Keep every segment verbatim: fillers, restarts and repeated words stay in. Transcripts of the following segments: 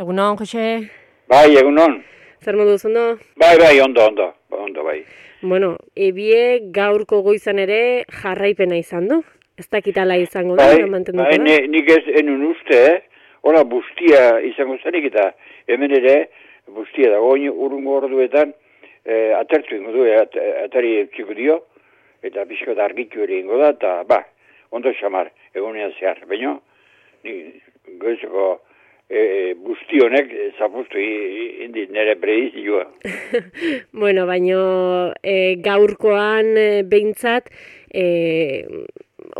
Egunon, Jose? Bai, egunon. Zer moduz, ondo? Bai, bai, ondo, ondo, ondo, bai. Bueno, ebie gaurko goizan ere jarraipena izan du. Ez dakitala izango da, Bai, mantenduko bai, da. ne, nik ez enun uste, eh? Hola, bustia izango zanik eta hemen ere bustia dago, oin urrungo orduetan eh, atertu ingo du, at, atari eutxiko dio, eta pixko da argitu ere ingo da, eta ba, ondo xamar, egunean zehar, baina, ni goizeko e, busti honek zapustu indi nire predizioa. Bueno, baino e, gaurkoan e, behintzat, e,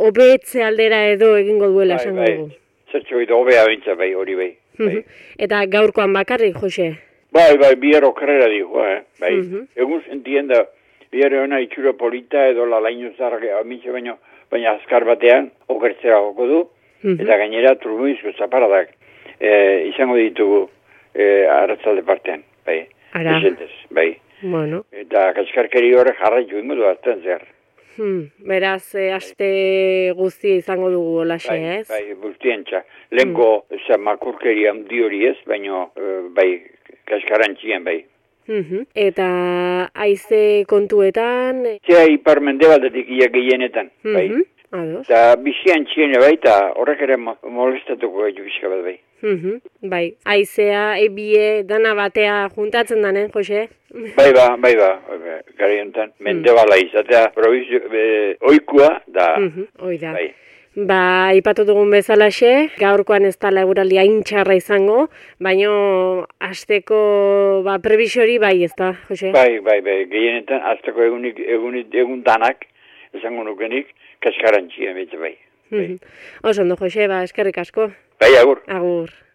hobetze aldera edo egingo duela Bai, esango bai, dugu. zertxo edo hobea bintza bai, hori bai. bai. Eta gaurkoan bakarrik, Jose? Bai, bai, bihar okerrera dijo, eh? Bai, Mhm. egun sentien da, bihar hona itxura polita edo la laino zarrak amitxe baino, baina azkar batean okertzera joko du, Mhm. eta gainera turbuizko zaparadak eh, izango ditugu eh, arratzalde partean, bai, Ara. esentez, bai. Bueno. Eta kaskarkeri horrek jarraitu ingo du azten zehar. Hmm. Beraz, e, aste guztia izango dugu olaxe, Bai, ez? bai, guztientza. Lehenko, mm. makurkeri handi hori ez, baina, eh, bai, kaskarantzian, bai. Mhm. Eta haize kontuetan... Zea ipar mendebaldetik ia gehienetan, bai. Mhm. Ados. Eta bizian txiene bai, eta horrek ere mo- molestatuko gaitu bizka bat bai. Mhm. Bai, haizea, ebie, dana batea juntatzen danen, Jose? Bai ba, bai ba, gara honetan, mendebala izatea, provizio, e, oikua, da, Mhm. Hoi da. bai. Ba, aipatu dugun bezalaxe, gaurkoan ez da eguraldi hain txarra izango, baino asteko ba, prebisori bai ez da, Jose? Bai, bai, bai, gehienetan, azteko egunik, egunik, egun danak, esango nukenik, kaskarantxia betze bai. Mhm. Oso ondo, Jose, ba, eskerrik asko. Bai, agur. Agur.